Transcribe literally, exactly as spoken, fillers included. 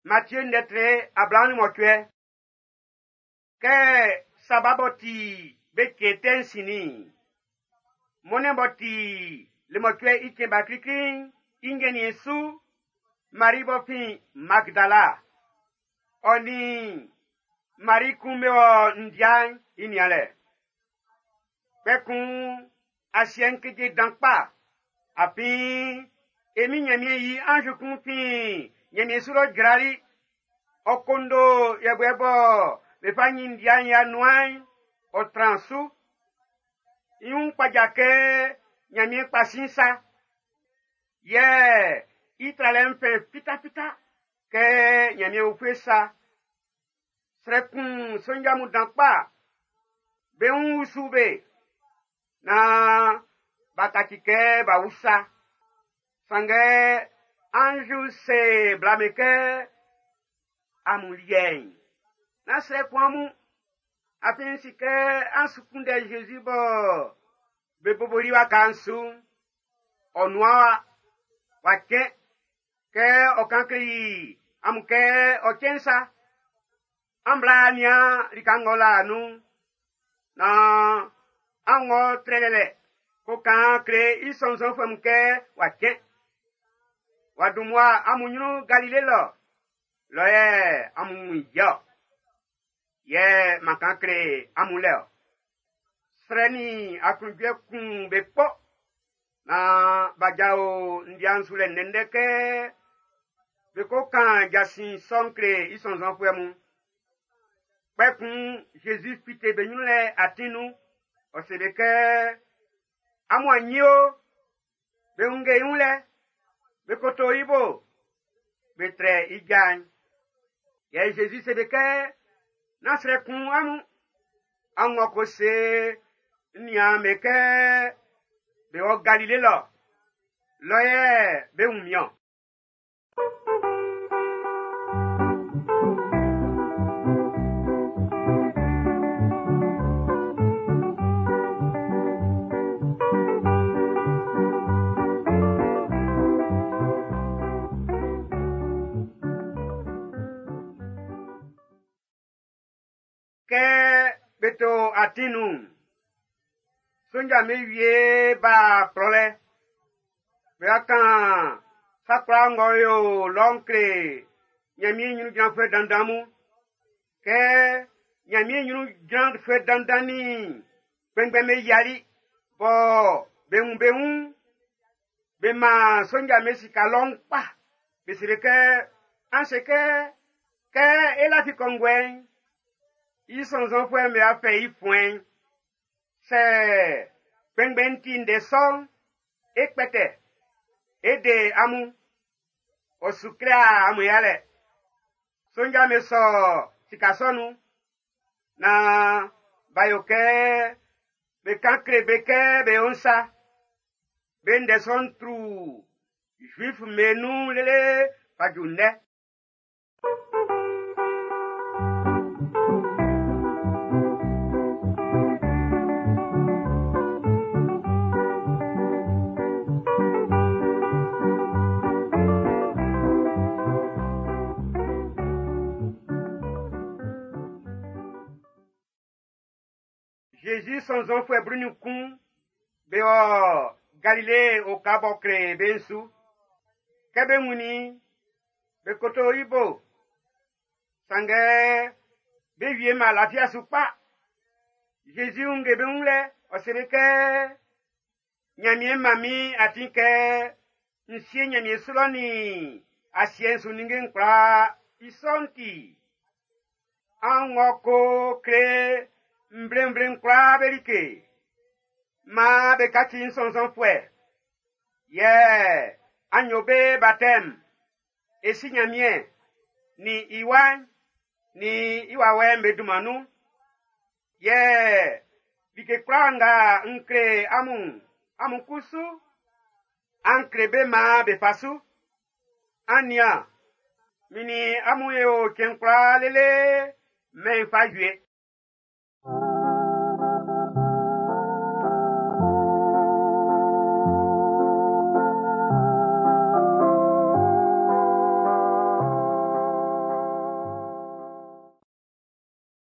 Matthieu ndɛtre ablaɔn mɔcuɛ. Kɛ saba b'ɔ ti be cɛn tɛ'n sinnin'n, mɔnnɛn b'ɔ ti le mɔcuɛ i cɛn ba klikli'n i ngɛnniɛn su, Mari b'ɔ fin Magdala, ɔ nin Mari kun be wɔ ndia'n i nianlɛ. Kpɛkun asiɛ'n keje dan kpa, afin e Min Nyanmiɛn i anz kun fin Nyanmiɛn su lɔ jrali. Ɔ kondo yɛbuɛ bɔ be fa nyin ndia'n i anuan'n, ɔ tran su. I wun kpaja kɛ Nyanmiɛn kpa sin sa. Yɛ i tralɛ'n fɛn fitafita kɛ Nyanmiɛn ufue sa. Srɛ kun sonja mun dan kpa. Be wun usu be. Naan b'a kaci kɛ b'a wu sa. Sanngɛ anz'n se bla'm be kɛ amun liɛ'n, nán srɛ kun amun. Afin n si kɛ an su kunndɛ Zezi bɔ be boboli waka'n su'n. Ɔ nuan wa, wa cɛn kɛ ɔ kan kleli amun kɛ ɔ cɛn sa. An bla nian lika ng'ɔ la nun'n, naan an wɔ trɛlɛlɛ ko kan kle i sɔnnzɔnfuɛ mun kɛ w'a cɛn. W'a dun mmua amun ɲrun Galile lɔ, lɔ yɛ amun wun i ɔ. Yɛ man kan kle amun lɛ ɔ. Srɛ nin aklunjuɛ kun be kpɔ, naan b'a jao ndia'n su lɛ ndɛndɛ kɛ be ko kan jasin sɔ'n kle i sɔnnzɔnfuɛ mun. Kpɛkun Zezi fite be ɲrun lɛ atin nun, ɔ se be kɛ, amun a nyi o, be wunge i wun lɛ, be koto i bo, be trɛ i ja'n. Yɛ Zezi se be kɛ, nán srɛ kun amun, an wɔ ko se n niaan'm be kɛ be wɔ Galile lɔ, lɔ yɛ be wun min-ɔn. Kɛ be to atin nun'n, sonja'm be wie b'a kplɔlɛ. Be wa kan sa kwlaa ng'ɔ yo lɔ'n kle Nyanmiɛn ɲrun jranfuɛ dandan mun. Kɛ Nyanmiɛn ɲrun jranfuɛ dandan nin kpɛnngbɛn'm be yiali bɔ be wun be wun, be man sonja'm be sika lɔ'n kpa. Be se be kɛ, an se kɛ, kɛ e lafi kɔnguɛ'n, i sɔnnzɔnfuɛ'm be a fɛ i fuɛn'n. Sɛ kpɛnngbɛn'n ti ndɛ sɔ'n, e kpɛtɛ, e de amun. Ɔ su kle amun yalɛ. Sonja'm be sɔ sika sɔ nun, naan b'a yo kɛ be kan kle be kɛ be yo'n sa. Be ndɛ sɔ'n tru Zuif'm be nun lele fa ju ndɛ. Jésus sɔnnzɔnfuɛ blu-nin-kun be wɔ Galile oka b'ɔ kle be'n su. Kɛ be wunnin i'n, be koto i bo. Sanngɛ be wie ma lafia su kpa. Jésus wunge be wun lɛ, ɔ se be kɛ, Nyanmiɛn man min atin kɛ n sie Nyanmiɛn su lɔ nin asiɛ'n su ninnge'n kwlaa. I sɔ'n ti, an wɔ ko kle nvle-nvle'n kwlaa be like. Maan be kaci n sɔnnzɔnfuɛ. Yɛ an yo be batɛm. E si Nyanmiɛn, nin i Wa'n, nin i Wawɛ'n be dunman nun. Yɛ like kwlaa nga n kle amun, amun kusu, an kle be maan be fa su. An nian, min nin amun e o cɛn kwlaa lele mɛn'n fa wie.